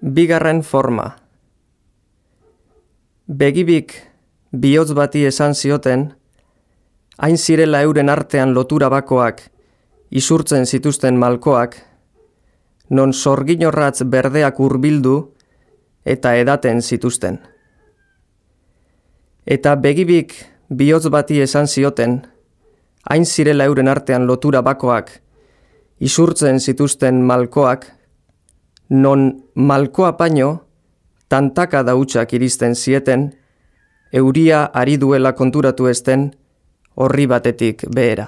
Bigarren forma. Begibik bihotz bati esan zioten, hain zirela euren artean lotura bakoak, isurtzen zituzten malkoak, non sorginorratz berdeak hurbildu eta edaten zituzten. Eta begibik bihotz bati esan zioten, hain zirela euren artean lotura bakoak, isurtzen zituzten malkoak, non malkoa paino, tantaka dautsak iristen zieten, euria ari duela konturatu ezten, horri batetik behera.